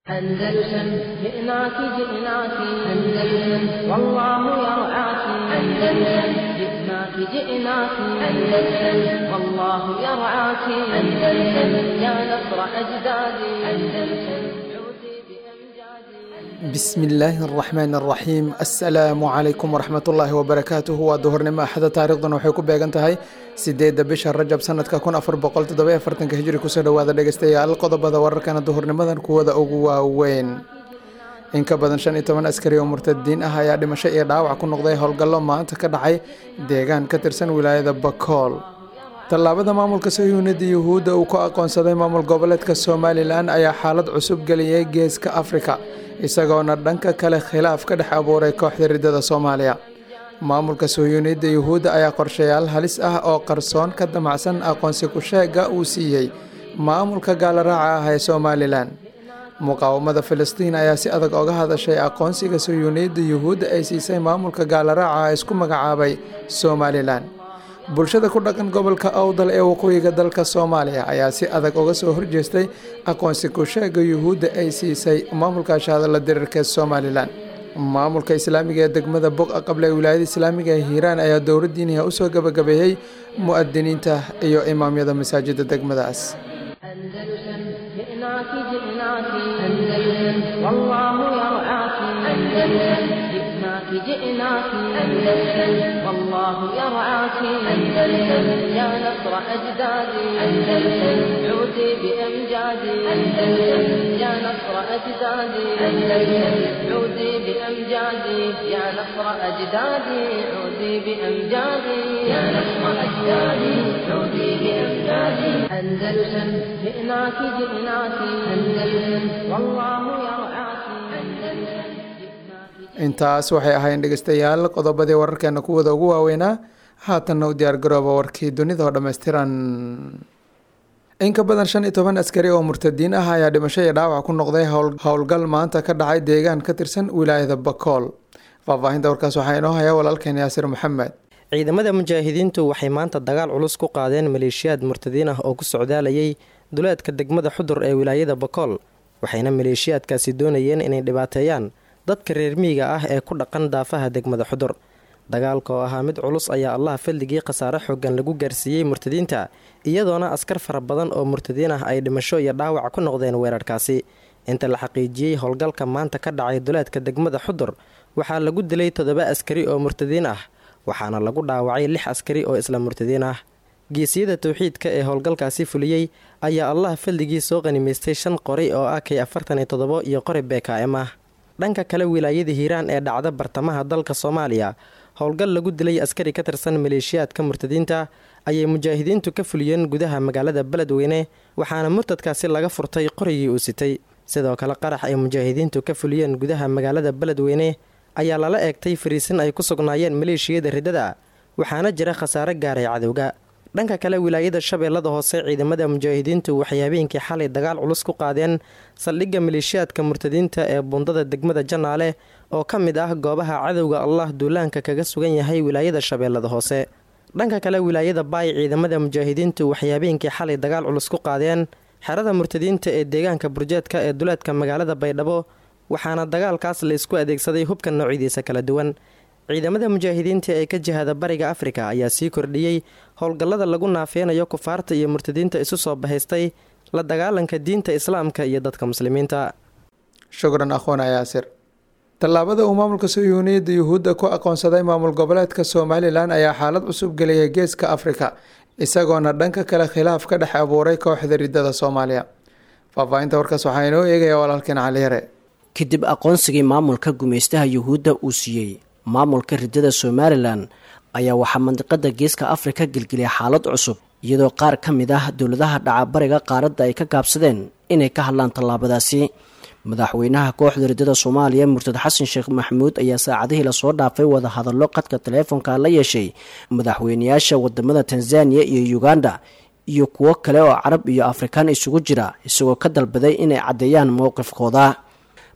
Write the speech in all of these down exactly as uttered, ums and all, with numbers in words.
أندلسن جئناك جئناك أندلسن والله يرعاك أندلسن جئناك جئناك أندلسن والله يرعاك أندلسن يا نصر أجدادي أندلسن عودي بأمجادي. Bismi illaahi araxmaan araxiim. Assalaamu calaykum waraxmatullaahi wabarakaatuhu. Waa duhurnimo Axada, taariikhduna waxay ku beegan tahay sideedda bisha Rajab, sanadka kun afar boqol toddoba afartanka hijri. Kusoo dhowaada, dhegeystayaal, qodobada wararkana duhurnimadan kuwada ugu waaweyn. In ka badan shan iyo toban askari oo murtadiin ah ayaa dhimasho iyo dhaawac ku noqday howlgallo maanta ka dhacay deegaan ka tirsan wilaayada Bakool. Tallaabada maamulka Sayuunida Yuhuudda uu ku aqoonsaday maamul goboleedka Somalilan ayaa xaalad cusub geliyay Geeska Afrika, isagoona dhanka kale khilaaf ka dhex abuuray kooxda ridada Soomaaliya. Maamulka Sayuunida Yuhuudda ayaa qorshayaal halis ah oo qarsoon ka damacsan aqoonsi ku-sheega uu siiyey maamulka gaalaraaca ah ee Somalilan. Muqaawamada Filistiin ayaa si adag oga hadashay aqoonsiga Sayuunida Yuhuudda ay siisay maamulka gaalaraaca ah isku magacaabay Somalilan. Bulshada ku dhaqan gobolka Awdal ee waqooyiga dalka Soomaaliya ayaa si adag uga soo horjeestay aqoonsi ku-sheega Yuhuudda ay siisay maamulka shaadala diriirka Somalilan. Maamulka islaamiga ee degmada Boqa Qable ee wilaayada islaamiga ee Hiiraan ayaa dowladdiiniha usoo gabagabeeyey mu'adiniinta iyo imaamyada masaajida degmadaas. أندلسن جئناك جئناك أندلسن والله يرعاك أندلسن جئناك جئناك أندلسن والله يرعاك أندلسن يا نصر أجدادي أندلسن عودي بأمجادي أندلسن يا نصر أجدادي أندلسن عودي بأمجادي يا نصر أجدادي عودي بأمجادي يا نصر أجدادي عودي بأمجادي. أندلسن جئناك جئناك أندلسن والله يرعاك أندلسن جئناك. Intaas waxay ahayn, dhegeystayaal, qodobadii wararkeena kuwada ugu waaweynaa. Haatanna u diyaar garooba warkii dunida oo dhammaystiran. In ka badan shan iyo toban askari oo murtadiin ah ayaa dhimasho iyo dhaawac ku noqday howl- howlgal maanta ka dhacay deegaan ka tirsan wilaayada Bakool. Faahfaahinta warkaas waxaa inoo haya walaalkeen Yaasir Maxamed. Ciidamada mujaahidiintu waxay maanta dagaal culus ku qaadeen maleeshiyaad murtadiin ah oo ku socdaalayay duleedka degmada Xudur ee wilaayada Bakool, waxayna maleeshiyaadkaasi doonayeen inay dhibaateeyaan dadka reer miyiga ah ee ku dhaqan daafaha degmada Xudur. Dagaalka oo ahaa mid culus ayaa Allah fadligii khasaare xoogan lagu gaarsiiyey murtadiinta, iyadoona askar fara badan oo murtadiin ah ay dhimasho iyo dhaawac ku noqdeen weerarkaasi. Inta la xaqiijiyey, howlgalka maanta ka dhacay duleedka degmada Xudur waxaa lagu dilay toddoba askari oo murtadiin ah, waxaana lagu dhaawacay lix askari oo isla murtadiin ah. Geesiyada towxiidka ee howlgalkaasi fuliyey ayaa Allah fadligii soo qanimaystay shan qori oo ah K afartan iyo toddobo iyo qori B K M ah. Dhanka kale, wilaayada Hiiraan ee dhacda bartamaha dalka Soomaaliya, howlgal lagu dilay askari ka tirsan maleeshiyaadka murtadiinta ayay mujaahidiintu ka fuliyeen gudaha magaalada Beledweyne, waxaana murtadkaasi laga furtay qorigii uu sitay. Sidoo kale, qarax ay mujaahidiintu ka fuliyeen gudaha magaalada Beledweyne ayaa lala eegtay fariisin ay ku sugnaayeen maleeshiyada riddada, waxaana jira khasaare gaaray cadowga. Dhanka kale, wilaayada Shabeellada Hoose, ciidamada mujaahidiintu waxay habeenkii xalay dagaal culus ku qaadeen saldhigga maleeshiyaadka murtadiinta ee bundada degmada Janaale oo ka mid ah goobaha cadowga Allah duulaanka kaga sugan yahay wilaayada Shabeellada Hoose. Dhanka kale, wilaayada Baay, ciidamada mujaahidiintu waxay habeenkii xalay dagaal culus ku qaadeen xerada murtadiinta ee deegaanka Burjeedka ee duleedka magaalada Baydhabo, waxaana dagaalkaas la isku adeegsaday hubka noocyadiisa kala duwan. Ciidamada mujaahidiinta ee ka jihada Bariga Afrika ayaa sii kordhiyey howlgallada lagu naafeynayo kufaarta iyo murtadiinta isu soo bahaystay la dagaalanka diinta islaamka iyo dadka muslimiinta. Shukran, akhoona Yaasir. Tallaabada uu maamulka Sayuuniyadda Yuhuudda ku aqoonsaday maamul goboleedka Somalilan ayaa xaalad cusub geliyay Geeska Afrika, isagoona dhanka kale khilaaf ka dhex abuuray kooxda ridada Soomaaliya. Faahfaahinta warkaas waxaa inoo eegaya walaalkeen Cali Yare. Kadib aqoonsigii maamulka gumaystaha Yuhuudda uu siiyey maamulka ridada Somalilan ayaa waxaa mandiqada Geeska Afrika gelgeliyay xaalad cusub, iyadoo qaar ka mid ah dowladaha dhaca bariga qaaradda ay ka gaabsadeen inay ka hadlaan tallaabadaasi. Madaxweynaha kooxda ridada Soomaaliya, murtad Xasan Sheekh Maxamuud, ayaa saacadihii lasoo dhaafay wadahadallo qadka taleefonka la yeeshay madaxweynayaasha wadamada Tanzaniya iyo Uganda iyo kuwo kale oo Carab iyo Afrikaan isugu jira, isagoo ka dalbaday inay caddeeyaan mowqifkooda.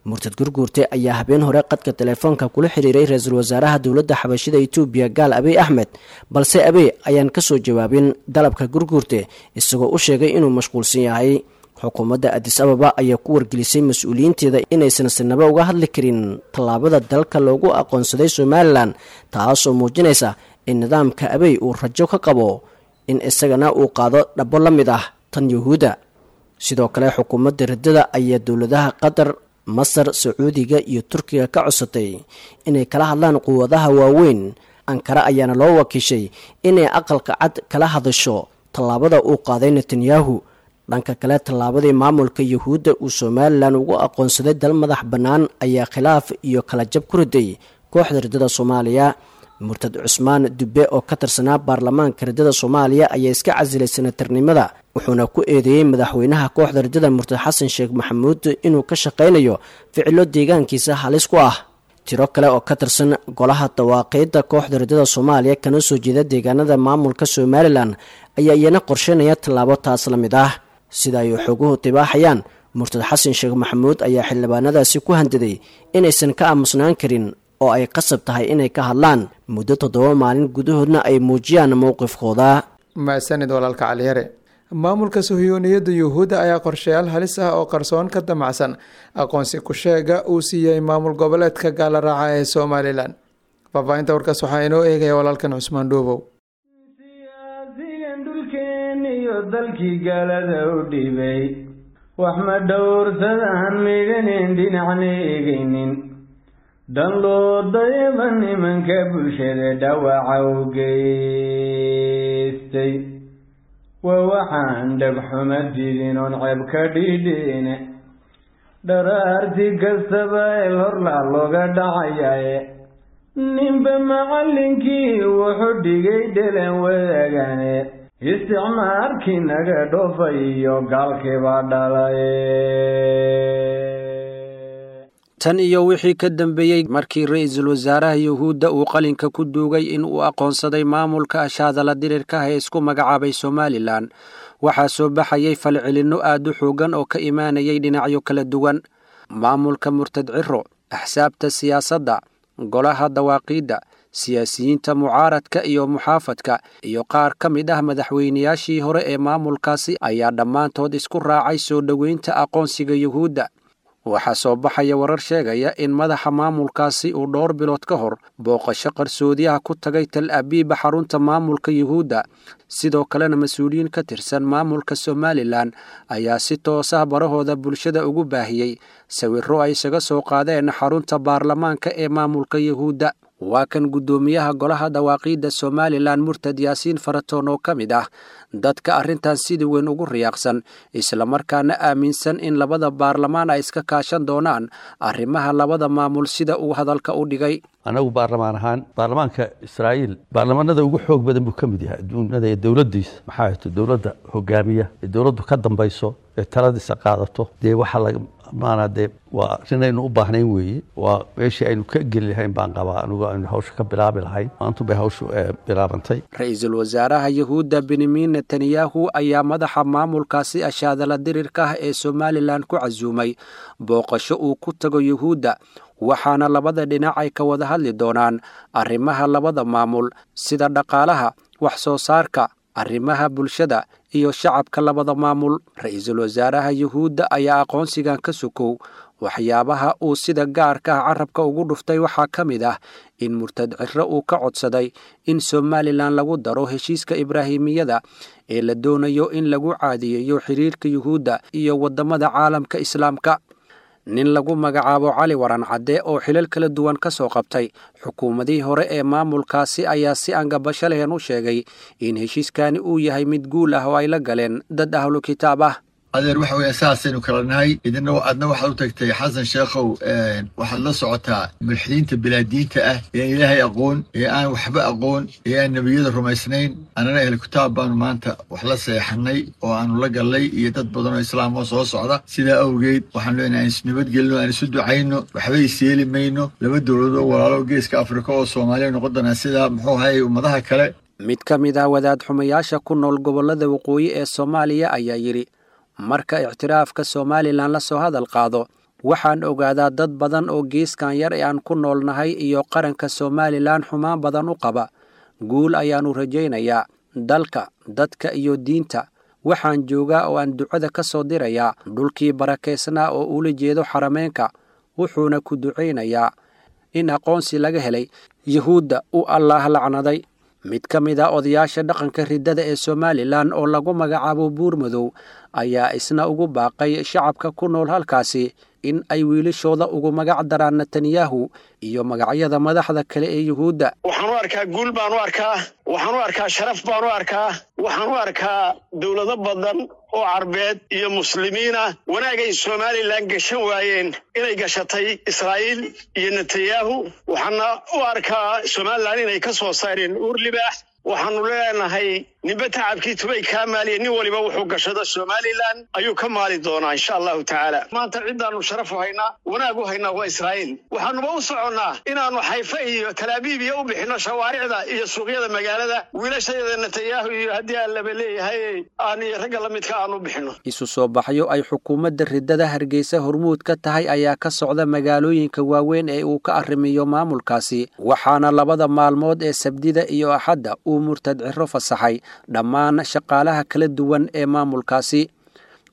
Murtad Gurguurte ayaa habeen hore qadka teleefoonka kula xiriiray ra-iisul wasaaraha dowladda xabashida Itoobiya, gaal Abiy Axmed, balse Abiy ayaan kasoo jawaabin dalabka Gurguurte, isagoo u sheegay inuu mashquulsan yahay. Xukuumadda Adis Ababa ayaa ku wargelisay mas-uuliyiinteeda inaysan sinaba uga hadli karin tallaabada dalka loogu aqoonsaday Somalilan, taasoo muujinaysa in nidaamka Abey uu rajo ka qabo in isagana uu qaado dhabo la mid ah tan Yuhuudda. Sidoo kale xukuumadda riddada ayaa dowladaha Qatar, Masar, Sacuudiga iyo Turkiga ka codsatay inay kala hadlaan quwadaha waaweyn. Ankara ayaana loo wakiishay inay Aqalka Cad kala hadasho tallaabada uu qaaday Netanyahu. Dhanka kale, tallaabadii maamulka Yuhuudda uu Somalilan ugu aqoonsaday dal madax bannaan ayaa khilaaf iyo kala jab ku riday kooxda riddada Soomaaliya. Murtad Cusmaan Dubbe oo ka tirsanaa baarlamaanka riddada Soomaaliya ayaa iska casilay senatarnimada, wuxuuna ku eedeeyey madaxweynaha kooxda riddada murtad Xasan Sheekh Maxamuud inuu ka shaqaynayo ficilo deegaankiisa halis ku ah. Tiro kale oo ka tirsan golaha dawaaqiidda kooxda riddada Soomaaliya kana soo jeeda deegaanada maamulka Somalilan ayaa iyana qorsheynaya tallaabo taas la mid ah. Sida ay xoguhu tibaaxayaan, murtad Xasan Sheekh Maxamuud ayaa xildhibaanadaasi ku handaday inaysan ka aamusnaan karin oo ay qasab tahay inay ka hadlaan muddo toddoba maalin gudahoodna ay muujiyaan mowqifkooda. Mahadsanid walaalka Caliyare. Maamulka suhiyuuniyadda Yuhuudda ayaa qorshayaal halis ah oo qarsoon ka damacsan aqoonsi ku sheega uu siiyey maamul goboleedka gaala raaca ee Somalilan. Faahfaahinta warkaas waxaa inoo eegaya walaalkan Cusmaan Dhuubow. Siyaasigan dhulkeeniyo dalkii gaalada u dhibay, wax ma dhowrsadaan midhanin dhinacna eegaynin, dan loo dayaba nimanka bulshada dhawaca u geystay. Waa waxaan dhagxuma didin oon ceeb ka dhidhine, dharaarti kastaba eel horlaa looga dhacayaye, ninba macallinkii wuxuu dhigay dhelan wadaagane, isticmaarkii naga dhoofay iyo gaalkiibaa dhalaye. Tan iyo wixii ka dambeeyey markii ra-iisul wasaaraha Yuhuudda uu qalinka ku duugay in uu aqoonsaday maamulka ashaadala dirirka ah ee isku magacaabay Somalilan, waxaa soo baxayay falcelinno aad u xoogan oo ka imaanayay dhinacyo kala duwan. Maamulka murtad Ciro, axsaabta siyaasadda, golaha dawaaqiidda, siyaasiyiinta mucaaradka iyo muxaafadka, iyo qaar ka mid ah madaxweynayaashii hore ee maamulkaasi ayaa dhammaantood isku raacay soo dhoweynta aqoonsiga Yuhuudda. Waxaa soo baxaya warar sheegaya in madaxa maamulkaasi uu dhowr bilood ka hor booqasho qarsoodiyaha ku tagay Tal Abiiba, xarunta maamulka Yuhuudda. Sidoo kalena mas-uuliyiin ka tirsan maamulka Somalilan ayaa si toos ah barahooda bulshada ugu baahiyey sawirro ay isaga soo qaadeen xarunta baarlamaanka ee maamulka Yuhuudda. Waa kan guddoomiyaha golaha dawaaqiidda Somalilan murtad Yaasiin Faratoon oo ka mid ah dadka arrintan sida weyn ugu riyaaqsan, islamarkaana aaminsan in labada baarlamaan ay iska kaashan doonaan arrimaha labada maamul, sida uu hadalka u dhigay. Anagu baarlamaan ahaan, baarlamaanka Israa'iil baarlamaanada ugu xoog badan buu ka mid yahay adduunyada ee dowladdiisa. Maxaa hayto dowladda hogaamiya ee dowladdu ka dambayso ee taladiisa qaadato, dee waxaa laga maanaa dee waa arrin aynu u baahnayn weeye. Waa meeshii aynu ka geli lahayn baan qabaa anigu, aynu hawsha ka bilaabi lahayn. Maantu bay hawshu bilaabantay. Ra-iisul wasaaraha Yuhuudda Benyamin Netanyahu ayaa madaxa maamulkaasi ashaadala dirirka ah ee Somalilan ku casuumay booqasho uu ku tago Yuhuudda, waxaana labada dhinac ay ka wada hadli doonaan arrimaha labada maamul sida dhaqaalaha, wax soo saarka, arrimaha bulshada iyo shacabka labada maamul. Ra-iisul wasaaraha Yuhuudda ayaa aqoonsigan ka sokow waxyaabaha uu sida gaarka ah carabka ugu dhuftay waxaa ka mid ah in murtad Ciro uu ka codsaday in Somalilan lagu daro heshiiska Ibraahimiyada ee la doonayo in lagu caadiyeeyo xiriirka Yuhuudda iyo waddamada caalamka Islaamka. Nin lagu magacaabo Cali Waran Cadde oo xilal kala duwan ka soo qabtay xukuumadihii hore ee maamulkaasi ayaa si aan gabasho lahayn u sheegay in heshiiskani uu yahay mid guul ah oo ay la galeen dad ahlu kitaab ah. Adeer, waxa weya saasaynu kala nahay. Idina adna waxaad u tagtay Xasan Sheekhow, waxaad la socotaa mulxidiinta bilaadiinta ah ee aan Ilaahay aqoon, ee aan waxba aqoon, ee aan nebiyada rumaysnayn. Annana ehel kitaab baanu maanta wax la seexanay oo aanu la gallay iyo dad badan oo islaam oo soo socda. Sidaa awgeed waxaanu leenahay aan isnabadgelino, aan isu ducayno, waxba isyeeli mayno. Laba dowladood oo walaalo geeska Afrika oo Soomaaliya noqon doonaa sida muxuu ahay ummadaha kale. Mid ka mid ah wadaad xumayaasha ku nool gobollada waqooyi ee Soomaaliya ayaa yidhi, marka ictiraafka Somalilan la soo hadal qaado, waxaan ogaadaa dad badan oo geeskan yar ee aan ku noolnahay iyo qaranka Somalilan xumaan badan u qaba. Guul ayaannu rajaynayaa dalka, dadka iyo diinta. Waxaan joogaa oo aan ducada ka soo dirayaa dhulkii barakaysnaa oo ula jeedo xarameenka, wuxuuna ku ducaynayaa in aqoonsi laga helay Yuhuudda uu Allaah lacnaday. Mid ka mid ah odayaasha dhaqanka riddada ee Somalilan oo lagu magacaabo Buurmadow ayaa isna ugu baaqay shacabka ku nool halkaasi in ay wiilashooda ugu magac daraan Netanyahu iyo magacyada madaxda kale ee Yuhuudda. Waxaan u arkaa guul baan u arkaa, waxaan u arkaa sharaf baan u arkaa, waxaan u arkaa dowlado badan oo carbeed iyo muslimiin ah wanaagay Somalilan gashan waayeen inay gashatay Israa'iil iyo Netanyahu. Waxaana u arkaa Somalilan inay ka soo saareen uur libaax. Waxaanu leenahay ninba tacabkii tubay kaa maaliya, nin waliba wuxuu gashado Somalilan ayuu ka maali doonaa insha Allahu tacaala. Maanta ciddaanu sharaf u haynaa, wanaag u haynaa waa Israa'iil. Waxaanuba u soconnaa inaannu Xayfa iyo Talaabiib iyo u bixinno shawaaricda iyo suuqyada magaalada wiilashayada Netanyahu iyo haddii aan laba leeyahay aan iyo ragga la midka aanu bixinno. Isu soo baxyo ay xukuumadda riddada Hargeysa hormuud ka tahay ayaa ka socda magaalooyinka waaweyn ee uu ka arrimiyo maamulkaasi, waxaana labada maalmood ee Sabtida iyo Axadda uu murtad Ciro fasaxay dhammaan shaqaalaha kala duwan ee maamulkaasi.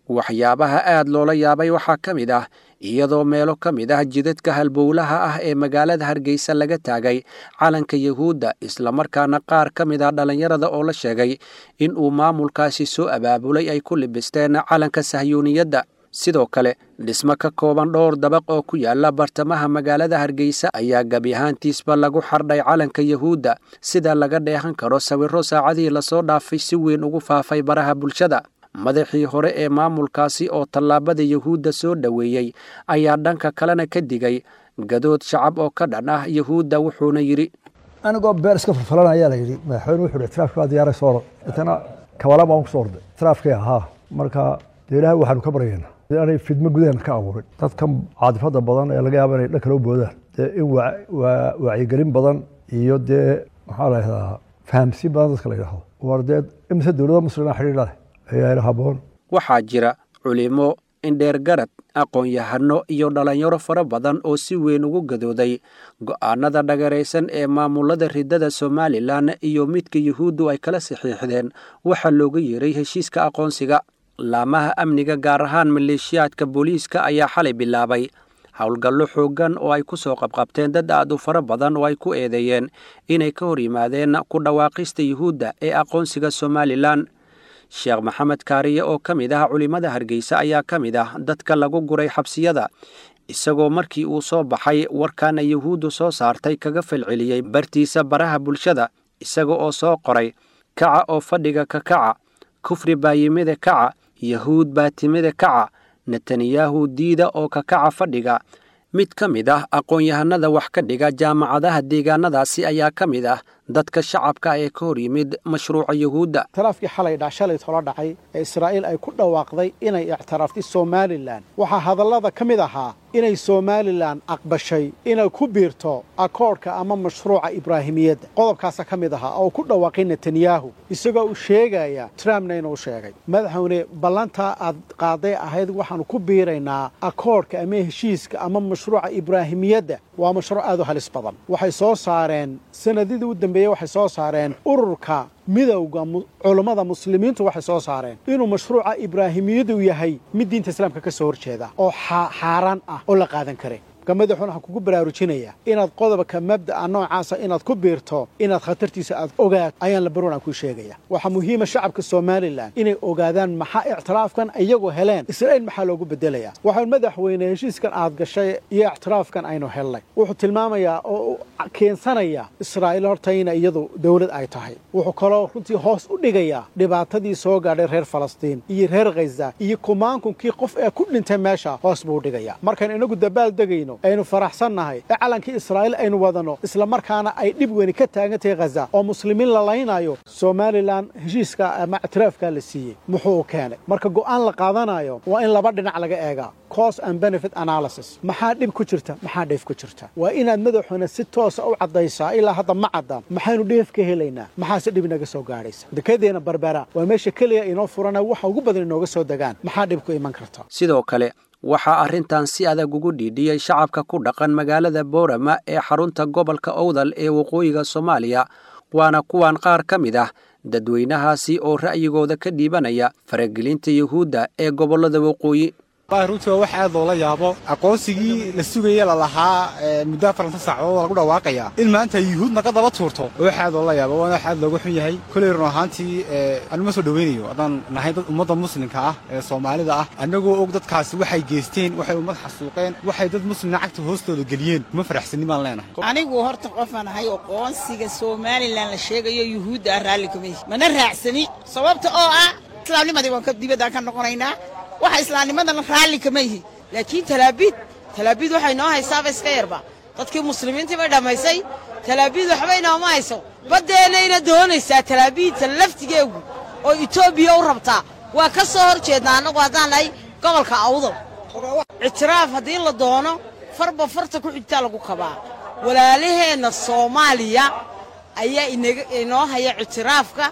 Waxyaabaha aad loola yaabay waxaa ka mid ah iyadoo meelo ka mid ah jidadka halbowlaha ah ee magaalada Hargeysa laga taagay calanka Yuhuudda, islamarkaana qaar ka mid ah dhallinyarada oo la sheegay in uu maamulkaasi soo abaabulay ay ku libisteen calanka sahyuuniyadda. Sidoo kale dhismo ka kooban dhowr dabaq oo ku yaala bartamaha magaalada Hargeysa ayaa gebi ahaantiisba lagu xardhay calanka Yuhuudda, sida laga dheehan karo sawirro saacadihii lasoo dhaafay si weyn ugu faafay baraha bulshada. Madaxii hore ee maamulkaasi oo tallaabada Yuhuudda soo dhoweeyey ayaa dhanka kalena ka digay gadood shacab oo ka dhan ah Yuhuudda, wuxuuna yidhi: Anigoo beer iska falfalan ayaa la yidhi madaxweyne wuxuu yidhi tiraafkii baa diyaaray soo orod, intana kabala baan ku soo orday tiraafkii ahaa. Marka dee Ilaahay waxaanu ka baryaynaa inaanay fidmo gudaheena ka abuurin dadkan caadifada badan ee laga yaabo inay dhan kale u boodaan, dee in wacyigelin badan iyo dee maxaa la yidhahdaa fahamsiin badan dadka la yidhahdo war dee imise dowlada muslima xidhiidha leh ayaa ila haboon. Waxaa jira culimo, indheergarad, aqoon-yahano iyo dhalinyaro fara badan oo si weyn ugu gadooday go'aanada dhagaraysan ee maamulada riddada Somalilan iyo midka Yuhuuddu ay kala saxiixdeen waxaa looga yeeray heshiiska aqoonsiga. Laamaha amniga gaar ahaan maleeshiyaadka booliiska ayaa xalay bilaabay howlgallo xooggan oo ay ku soo qabqabteen dad aad u fara badan oo ay ku eedeeyeen inay ka hor yimaadeen ku dhawaaqista Yuhuudda ee aqoonsiga Somalilan. Sheekh Maxamed Kaariye oo ka mid ah culimada Hargeysa ayaa ka mid ah dadka lagu guray xabsiyada, isagoo markii uu soo baxay warkaana Yuhuuddu soo saartay kaga falceliyey bartiisa baraha bulshada, isaga oo soo qoray: Kaca oo fadhiga ka kaca, kufri baa yimida kaca, Yahuud baa timida kaca, Netanyahu diida oo ka kaca fadhiga. Mid ka mid ah aqoon-yahanada wax ka dhiga jaamacadaha deegaanadaasi ayaa ka mid ah dadka shacabka ee ka hor yimid mashruuca Yuhuudda. Ictiraafkii xalay dha shalay tola dhacay ee Israa'iil ay ku dhawaaqday inay ictiraaftay Somalilan, waxaa hadallada ka mid ahaa inay Somalilan aqbashay inay ku biirto akoodhka ama mashruuca Ibraahimiyadda. Qodobkaasa ka mid ahaa oo ku dhawaaqay Netanyahu isagoo uu sheegaya Trumpna inuu sheegay. Madaxweyne, ballantaa aad qaaday ahayd waxaanu ku biiraynaa akoodhka ama heshiiska ama mashruuca Ibraahimiyadda waa mashruuc aad u halis badan. Waxay soo saareen sanadidii u dambeeyey, waxay soo saareen ururka midowga culummada muslimiintu waxay soo saareen inuu mashruuca Ibraahimiyadu yahay mid diinta islaamka ka soo horjeeda oo xaaraan ah oo la qaadan karin. Marka madaxuuna waxaan kugu baraarujinayaa inaad qodobka mabda'a noocaasa inaad ku biirto, inaad khatartiisa aad ogaato ayaan la baroon aan kuu sheegaya. Waxaa muhiima shacabka Somalilan inay ogaadaan maxaa ictiraafkan iyagoo heleen Israa'iil maxaa loogu bedelayaa. Waxaan madaxweyne heshiiskan aad gashay iyo ictiraafkan aynu helnay wuxuu tilmaamayaa oo keensanaya Israa'iil horta ina iyadu dowlad ay tahay. Wuxuu kaloo runtii hoos u dhigayaa dhibaatadii soo gaadhay reer Falastiin iyo reer Gaza iyo kumaankunkii qof ee ku dhintay meesha hoos buu u dhigayaa. Markaan inagu dabaal degayno aynu faraxsannahay ee calankii Israa'iil aynu wadano, isla markaana ay dhib weyni ka taagan tahay Gaza oo muslimiin la laynayo, Somalilan heshiiska ama ictiraafka la siiyey muxuu u keenay? Marka go'aan la qaadanayo waa in laba dhinac laga eegaa, cost and benefit analysis. Maxaa dhib ku jirta, maxaa dheef ku jirta? Waa inaad madaxuna si toosa u caddaysaa. Ilaa hadda ma cadda maxaynu dheef ka helaynaa, maxaase dhib inaga soo gaadhaysa. Dekedeena Barbera waa meesha keliya inoo furana waxa ugu badan inooga soo degaan, maxaa dhib ku iman karta? Sidoo kale waxaa arrintan si adag ugu dhiidhiyey shacabka ku dhaqan magaalada Boorama ee xarunta gobolka Owdal ee waqooyiga Soomaaliya, Waana kuwan qaar ka mid ah dadweynahaasi oo ra'yigooda ka dhiibanaya faragelinta Yuhuudda ee gobollada waqooyi. Runtii waa wax aad loola yaabo, aqoonsigii la sugaya lalahaa muddo afaranta saacadood lagu dhawaaqaya in maanta yuhuud naga daba tuurto, wax aad loola yaabo, waana wax aad looga xun yahay. Koley run ahaantii anuma soo dhoweynayo haddaan nahay dad ummadda muslimka ah ee Soomaalida ah, annagoo og dadkaasi waxay geysteen, waxay ummad xasuuqeen, waxay dad muslimna cagta hoostooda geliyeen, kuma faraxsanin baan leenahay. Anigu horta qofaan ahay aqoonsiga Somalilan la sheegayo yuhuudda ah raalli kuma mana raacsani, sababta oo ah islaamnimadii waan ka dibaddaan ka noqonaynaa, waxa islaamnimadana raalli kama yihi. Laakiin Talaabiid Talaabiid waxay noo haysaaba iska yarba, dadkii muslimiintii bay dhammaysay. Talaabiid waxba inooma hayso, baddeennayna doonaysaa Talaabiidta laftigeegu oo Etoobiya u rabtaa. Waa ka soo hor jeednaa annagu haddaan nahay gobolka Awdal. Ictiraaf haddii la doono, farba farta ku xigtaa lagu kabaa. Walaalaheenna Soomaaliya ayaa inaga inoo haya ictiraafka.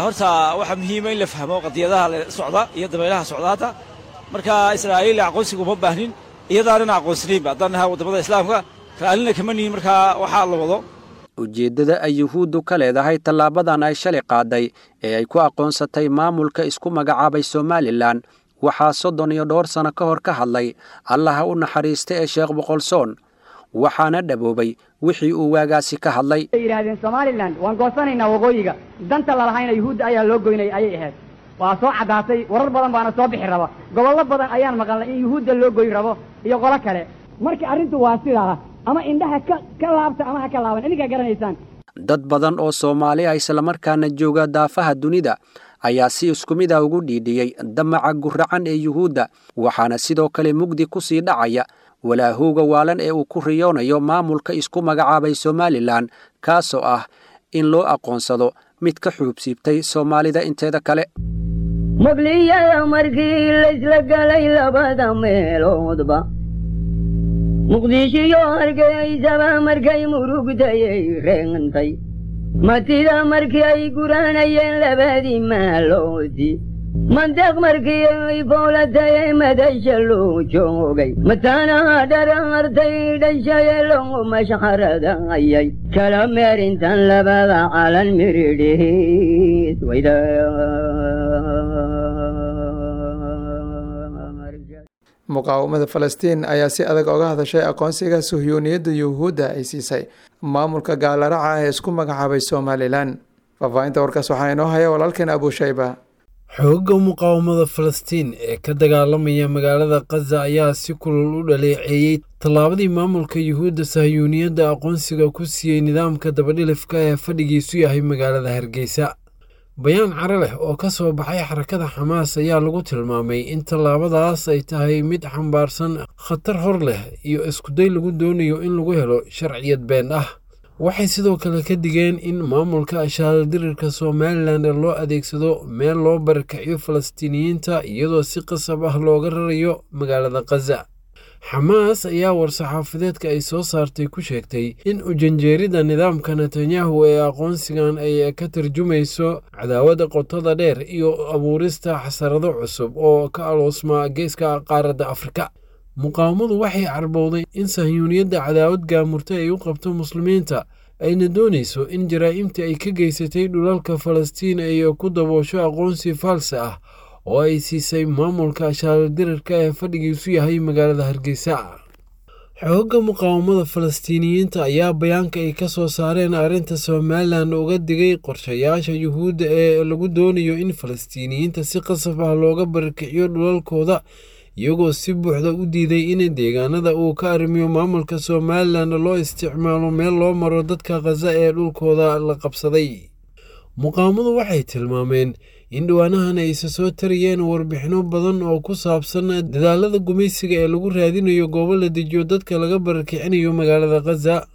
Horta waxaa muhiima in la fahmo qadiyadaha la socda iyo dabaylaha socdaata. Marka Israa'iil aqoonsiga uma baahnin, iyadaanana aqoonsanaynba haddaan nahay waddamada Islaamka, raallina kama nihin. Markaa waxaa la wado Ujeeddada ay Yuhuuddu ka leedahay tallaabadan ay shalay qaaday ee ay ku aqoonsatay maamulka isku magacaabay Somalilan waxaa soddon iyo dhowr sano ka hor ka hadlay Allaha u naxariista ee Sheekh Boqolsoon, waxaana dhaboobay wixii uu waagaasi ka hadlay. Waxay yidhaahdeen Somalilan waan goosanaynaa waqooyiga, danta lalahayna yuhuudda ayaa loo goynay ayay ahayd. Waa soo caddaatay, warar badan baana soo bixi raba, gobollo badan ayaan maqalnay in yuhuudda loo goyn rabo iyo qolo kale. Marka arrintu waa sidaa, ama indhaha ka ka laabta ama ha ka laaban, idinkaa garanaysaan. Dad badan oo Soomaali ah islamarkaana jooga daafaha dunida ayaa si isku mid ah ugu dhiidhiyey damaca guracan ee Yuhuudda, waxaana sidoo kale mugdi ku sii dhacaya walaahowga waalan ee uu ku riyoonayo maamulka isku magacaabay Somalilan, kaasoo ah in loo aqoonsado mid ka xuubsiibtay Soomaalida inteeda kale. Muqliyada markii laysla galay labada meeloodba, Muqdishiyo Hargeysaba markay murugtayay reentay, matida markii ay guranayeen labadii maaloodii, mandeeq markii ay fowlatayay madasha loo joogay, mataanaha dharaartay dhashaye loo mashxaradayay, kala meerintan labada calan miridhiis wayda. Muqaawamada Falastiin ayaa si adag oga hadashay aqoonsiga suhyuuniyadda Yuhuudda ay siisay maamulka gaalaraca ee isku magacaabay Somalilan. Faahfaahinta warkaas waxaa inoo haya walaalkeen Abushayba. Xoogga muqaawamada Falastiin ee ka dagaalamaya magaalada Khaza ayaa si kulul u dhaleeceeyey tallaabadii maamulka Yuhuudda Sahyuuniyadda aqoonsiga ku siiyey nidaamka dabadhilifka ee fadhigiisu yahay magaalada Hargeysa. Bayaan caro leh oo ka soo baxay xarakada Xamaas ayaa lagu tilmaamay in tallaabadaas ay tahay mid xambaarsan khatar hor leh iyo iskuday lagu doonayo in lagu helo sharciyad been ah. Waxay sidoo kale ka digeen in maamulka ashaaladirirka Somalilan loo adeegsado meel loo barakaciyo Falastiiniyiinta, iyadoo si qasab ah looga rarayo magaalada Khaza. Xamaas ayaa war-saxaafadeedka ay soo saartay ku sheegtay in ujanjeerida nidaamka Netanyahu ee aqoonsigan ay ka tarjumayso cadaawada qotada dheer iyo abuurista xasarado cusub oo ka aloosma geeska qaaradda Afrika. Muqaawamadu waxay carbowday in Sahyuuniyadda cadaawad gaamurtay ay u qabto muslimiinta, ayna doonayso in jaraa'imtii ay ka geysatay dhulalka Falastiin ay ku daboosho aqoonsi faalse ah oo ay siisay maamulka ashaaladirirka ee fadhigiisu yahay magaalada Hargeysa. Xoogga muqaawamada Falastiiniyiinta ayaa bayaanka ay ka soo saareen arrinta Somalilan uga digay qorshayaasha Yuhuudda ee lagu doonayo in Falastiiniyiinta si qasab ah looga barakiciyo dhulalkooda, iyagoo si buuxda u diiday in deegaanada uu ka arrimiyo maamulka Somalilan loo isticmaalo meel loo maro dadka Khaza ee dhulkooda la qabsaday. Muqaawamadu waxay tilmaameen in dhawaanahan ay isa soo tariyeen warbixino badan oo ku saabsan dadaalada gumaysiga ee lagu raadinayo goobo la dejiyo dadka laga barakicinayo magaalada Khaza.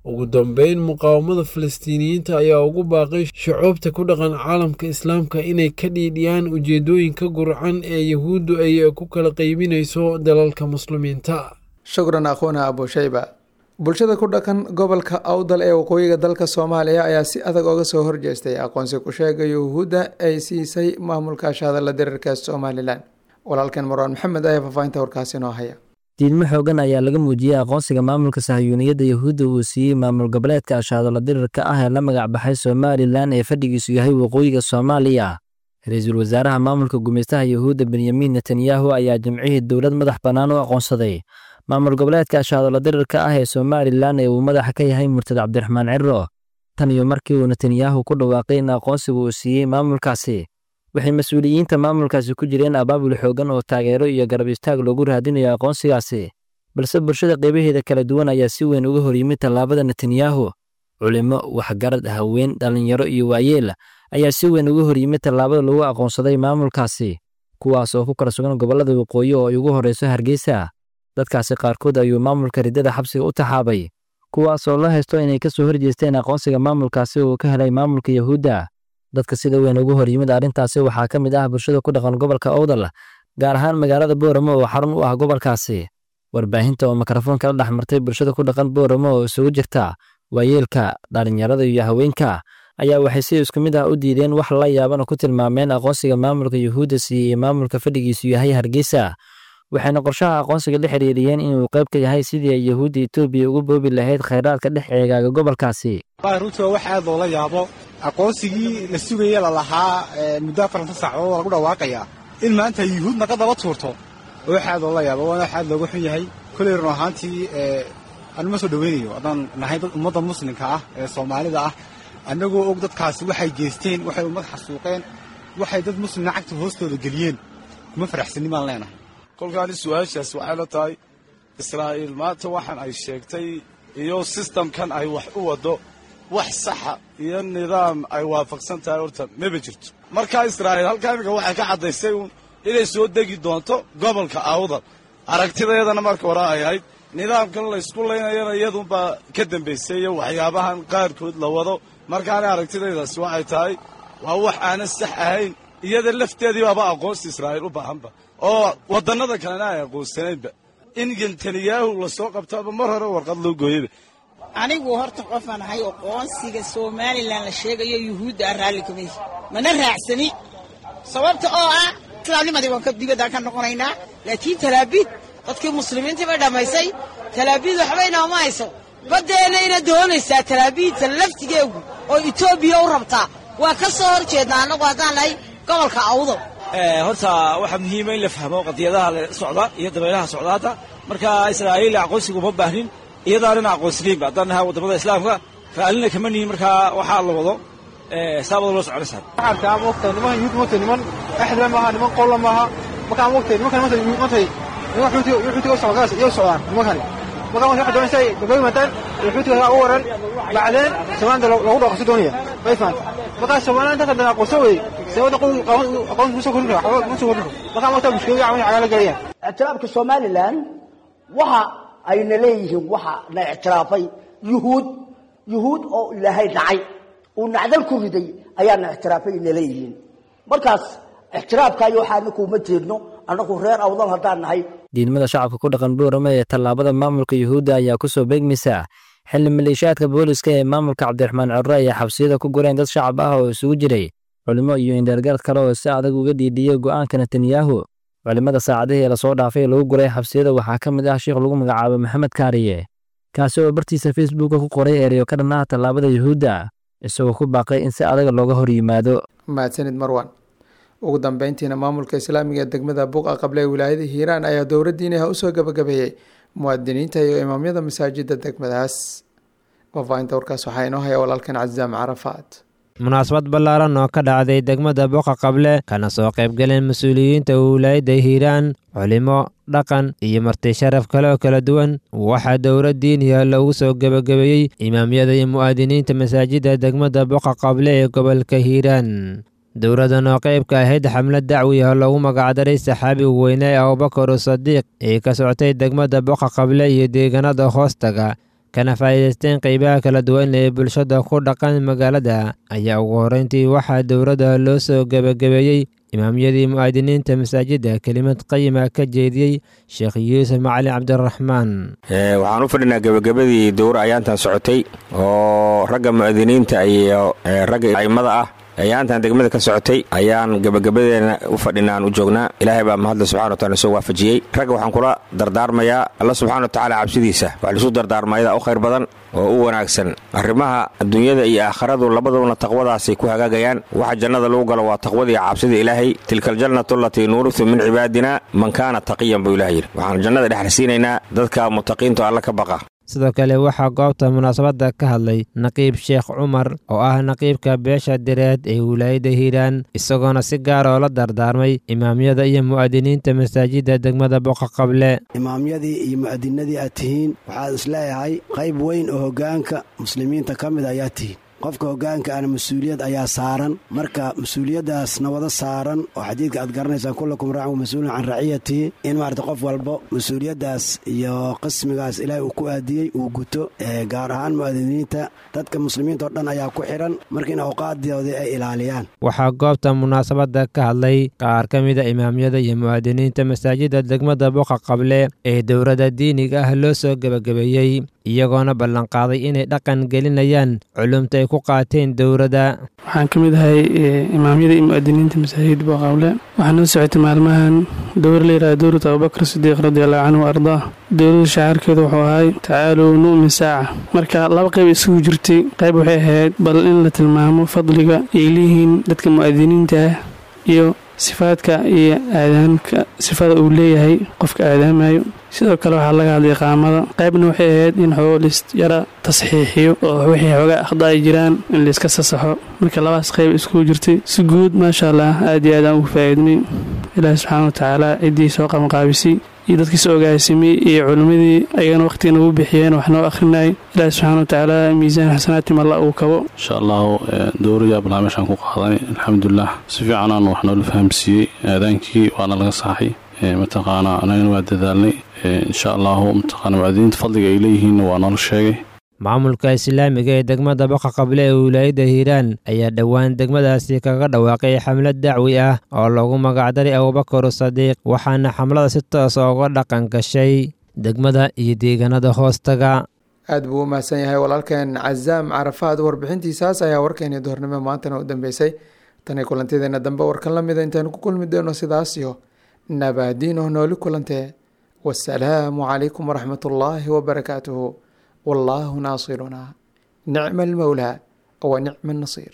Ugu dambeyn, muqaawamada Falastiiniyiinta ayaa ugu baaqay shucuubta ku dhaqan caalamka Islaamka inay ka dhiidhiyaan ujeedooyinka gurcan ee Yuhuuddu ay ku kala qaybinayso dalalka muslimiinta. Shukran akhuuna Abushayba. Bulshada ku dhaqan gobolka Awdal ee waqooyiga dalka Soomaaliya ayaa si adag oga soo horjeestay aqoonsi ku sheega Yuhuudda ay siisay maamulka ashadala diriirka Somalilan. Walaalkeen Marwaan Maxamed ayaa faahfaahinta warkaasi inoo haya. Diidmo xoogan ayaa laga muujiyey aqoonsiga maamulka sahayuuniyadda Yuhuudda uu siiyey maamul goboleedka ashaadala dirirka ah ee la magac baxay Somalilan ee fadhigiisu yahay waqooyiga Soomaaliya. Ra-iisul wasaaraha maamulka gumeystaha Yuhuudda Benyamin Netanyahu ayaa jimcihii dowlad madax bannaan u aqoonsaday maamul goboleedka ashaadala dirirka ah ee Somalilan ee uu madaxa ka yahay murtad Cabdiraxmaan Ciro. Tan iyo markii uu Netanyahu ku dhawaaqay in aqoonsigu uu siiyey maamulkaasi, waxay mas-uuliyiinta maamulkaasi ku jireen abaabul xoogan oo taageero iyo garab istaag loogu raadinayo aqoonsigaasi, balse bulshada qaybaheeda kala duwan ayaa si weyn uga horyimid tallaabada Netanyahu. Culimo, waxgarad, haween, dhallinyaro iyo waayeel ayaa si weyn uga horyimid tallaabada lagu aqoonsaday maamulkaasi, kuwaas oo ku kala sugan gobollada waqooyi oo ay ugu horreyso Hargeysa. Dadkaasi qaarkood ayuu maamulka riddada xabsiga u taxaabay, kuwaas oo la haysto inay ka soo horjeesteen aqoonsiga maamulkaasi uu ka helay maamulka Yahuudda. Dadka sida weyn ugu horyimid arrintaasi waxaa ka mid ah bulshada ku dhaqan gobolka Owdal, gaar ahaan magaalada Booramo oo xarun u ah gobolkaasi. Warbaahinta oo mikrofoon kala dhex martay bulshada ku dhaqan Booramo oo isugu jirta waayeelka, dhallinyarada iyo haweenka ayaa waxay si isku mid ah u diideen wax la yaabana ku tilmaameen aqoonsiga maamulka Yuhuudda siiyey maamulka fadhigiisu yahay Hargeysa. Waxayna qorshaha aqoonsiga la xiriiriyeen inuu qayb ka yahay sidii ay Yuhuudda Itoobiya ugu boobi lahayd kheyraadka dhex eegaaga gobolkaasi. Runtii waa wax aad loola yaabo aqoonsigii la sugaya lalahaa muddo afartan saacadood lagu dhawaaqayaa in maanta yuhuud naga daba tuurto oo wax aad loola yaabo, waana wax aad looga xun yahay. Koley run ahaantii anu ma soo dhoweynayo haddaan nahay dad ummadda muslimka ah ee Soomaalida ah, annagoo og dadkaasi waxay geysteen, waxay ummad xasuuqeen, waxay dad muslimna cagta hoostooda geliyeen, kuma faraxsanin baan leenahay. Kolkaani su-aashaas waxay la tahay Israa'iil maanta waxaan ay sheegtay iyo sistamkan ay wax u waddo wax saxa iyo nidaam ay waafaqsan tahay horta maba jirto. Markaa Israa'iil halkaa iminka waxay ka caddaysay uun inay soo degi doonto gobolka Awdal. Aragtideedana marka hore ay ahayd nidaamkan laysku laynayana iyadunbaa ka dambaysay iyo waxyaabahan qaarkood la wado. Markaana aragtidaydaasi waxay tahay waa wax aanan sax ahayn, iyada lafteedii baaba aqoonsi Israa'iil u baahanba oo waddannada kalena ay aqoonsanaynba. In Netanyahu lasoo qabtaaba mar hore warqad loo gooyeyba. Anigu horta qofaan ahay aqoonsiga Somalilan la sheegayo Yuhuudda ah raalli kama yihi, mana raacsani, sababta oo ah islaamnimadii waan ka dibadaan ka noqonaynaa. Laakiin Talaabiid dadkii muslimiintii bay dhammaysay, Talaabiid waxba inooma hayso, baddeenayna doonaysaa Talaabiidta laftigeegu oo Itoobiya u rabtaa. Waa ka soo hor jeednaa annagu haddaan nahay gobolka Awdal. Horta waxaa muhiima in la fahmo qadiyadaha la socda iyo dabaylaha socda hadda. Marka Israa'iil aqoonsigu uma baahnin, iyadaanana aqoonsanaynba haddaan nahay waddamada islaamka, raallina kama nihin. Markaa waxaa la wado saabada loo soconaysaa. Waxaan arkaa moogtahay nimankan yuhuud moogtahay niman axdla maaha, niman qolla maaha. Markaan moogtahay nimankan maanta yuhuud moogtahay niman xuutiga xuutiga u socdaan iyo socdaan nimankani. Markaan waxay doonaysaa gabay mataan xuutiga ugu waran bacdeen Soomaalida lagu dhaqso doonaya way faanta. Markaan Soomaalida inta haddana aqoonsan weeyey sababta aqoon kusoo kordhin karo waxba kuma soo kordhin karo. Markaan moogtahay mushkilada camal cagaala galayaan. Ictiraafka Somaliland waxa ayna leeyihiin waxa la ictiraafay yuhuud, yuhuud oo Ilaahay dhacay uu nacdal ku riday ayaana ictiraafay ayna leeyihiin. Markaas ictiraafkaayo waxaana kuma jeedno annagu reer Awdal haddaan nahay. Diidmada shacabka ku dhaqan Boorame ee tallaabada maamulka Yuhuudda ayaa ku soo beegmaysa xilli maleeshiyaadka booliska ee maamulka Cabdiraxmaan Cirre ay xabsiyada ku gureen dad shacab ah oo isugu jiray culimo iyo indheergarad kale oo si adag uga dhiidhiyey go'aanka Netanyahu. Culimada saacadihii lasoo dhaafay lagu guray xabsiyada waxaa ka mid ah sheekh lagu magacaabo Maxamed Kaariye, kaasi oo bartiisa Facebooka ku qoray ereyo ka dhan ah tallaabada Yuhuudda, isagoo ku baaqay in si adag looga hor yimaado. Mahadsanid Marwan. Ugu dambeyntiina maamulka islaamiga ee degmada Buqa Qable ee wilaayada Hiiraan ayaa dowladdiinaha usoo gabagabeeyey muwaadiniinta iyo imaamyada masaajida degmadaas. Faahfaahinta warkaas waxaa inoo haya walaalkan Cazaam Carafaad. Munaasabad ballaaran oo ka dhacday degmada Boqa Qable kana soo qaybgaleen mas-uuliyiinta wilaayadda Hiiraan, culimo, dhaqan iyo marti sharaf kale oo kala duwan, waxaa dowlad diiniya loogu soo gebagabeeyey imaamyada iyo mu'aadiniinta masaajidda degmada Boqa Qable ee gobolka Hiiraan. Dowladdan oo qayb ka ahayd xamlad dacwi ah loogu magacdaray saxaabiga weyne ee Abubakar Sadiiq ee ka socotay degmada Boqa Qable iyo deegaanada hoostaga, kana faa'iidaysteen qaybaha kala duwan ee bulshada ku dhaqan magaalada, ayaa ugu horreyntii waxaa dowladda loo soo gebagabeeyey imaamyadii mu'aadiniinta masaajidda kelimad qayima ka jeediyey Sheekh Yuusuf Macalin Cabdiraxmaan. Waxaan u fadhinaa gebagabadii dowra ayaantan socotay oo ragga mu'aadiniinta iyo ragga a'immada ah Ayaantan degmada ka socotay ayaan gebagabadeena u fadhinaa, aan u joognaa. Ilaahay baa mahadle subxana wa taala soo waafajiyey. Ragga waxaan kula dardaarmayaa Alla subxana wa tacaala cabsidiisa. Wax laisu dardaarmayada u khayr badan oo u wanaagsan arrimaha adduunyada iyo aakharadu labaduna taqwadaasay ku hagaagayaan. Waxa jannada lagu galo waa taqwada iyo cabsida Ilaahay. Tilka aljannatu alatii nuurisu min cibaadina man kaana taqiyan, buu Ilaah yidhi. Waxaan jannada dhexal siinaynaa dadka mutaqiinta Alla ka baqa. Sidoo kale waxaa goobta munaasabadda ka hadlay Naqiib Sheekh Cumar oo ah naqiibka beesha Direed ee wilaayadda Hiiraan, isagoona si gaar oo la dardaarmay imaamyada iyo mu'adiniinta masaajidda degmada Boqa Qable. Imaamyadii iyo mu'adinadii aad tihiin, waxaad isleeyahay qayb weyn oo hoggaanka muslimiinta ka mid ayaa tihiin. Qofka hoggaanka ana mas-uuliyad ayaa saaran. Marka mas-uuliyaddaasna wada saaran oo xadiidka aad garanaysaan, kullakum raacin wa mas-uulun can raciyatihi, in maarata qof walbo mas-uuliyaddaas iyo qismigaas Ilaahay uu ku aadiyey uu guto, gaar ahaan mu'adiniinta. Dadka muslimiinta oo dhan ayaa ku xidhan, marka in awqaadoodii ay ilaaliyaan. Waxaa goobta munaasabadda ka hadlay qaar ka mida imaamyada iyo mu'adiniinta masaajidda degmada Boqa Qable ee dowladda diiniga ah loo soo gebagabeeyey, iyagoona ballanqaaday inay dhaqan gelinayaan culumta ay ku qaateen dowladda. Waxaan ka mid ahay imaamyada iyo mu'adiniinta masaajidda Boqaqable. Waxaa noo socotay maalmahan dowr la yidhahda dowlata Abubakar Sidiiq radiallahu canhu wa ardaa. Dowladda shacaarkeedu wuxuu ahay tacaaluu nu'min saaca. Marka laba qayb isugu jirtay. Qayb waxay ahayd bal in la tilmaamo fadliga ay leeyihiin dadka mu'adiniinta ah iyo sifaadka iyo aadaanka, sifada uu leeyahay qofka aadaamayo. Sidoo kale waxaa laga hadlay iqaamada. Qaybna waxay ahayd in xoogo lis yara tasxiixiyo oo wixii xoogaa akhda ay jiraan in layska sasaxo. Marka labadaas qayb iskugu jirtay. Si guud, maasha Allah, aad iyo aad aan ugu faa'iidnay. Ilaahi subxaana wa tacaala ciddii soo qabanqaabisay iyo dadkii soo ogaasimay iyo culimmadii ayagana waqhtiga nagu bixiyeen wax noo akhrinayay, Ilaahi subxaana wa tacaala miisaan xasanaatim Alla uu kabo. Insha Allahu dowrayaa balaa meeshaan ku qaadanay, alxamdulilah, si fiicanaan wax noola fahamsiiyey. Aadaankii waana laga saxay, mataqaanaa, anagana waa dadaalnay insha Allahu. Mataqaana, mucadiniinta fadliga ay leeyihiinna waa noola sheegay. Maamulka islaamiga ee degmada Boqa Qable ee wilaayadda Hiiraan ayaa dhowaan degmadaasi kaga dhawaaqay xamlad dacwi ah oo loogu magacdaray Abubakar Sadiiq, waxaana xamlada si toosa uga dhaqan gashay degmada iyo deegaanada hoostaga. Aad buu u mahadsan yahay walaalkeen Cazaam Carafaad. Warbixintiisaas ayaa warkeeni duhornimo maantana u dambeysay. Tani kulantideena dambe warkan la mida intaanu ku kulmi doono, sidaas iyo nabaadiino, nooli kulantee. Wasalaamu calaykum waraxmat ullaahi wabarakaatuhu. والله ناصرنا، نعم المولى ونعم النصير.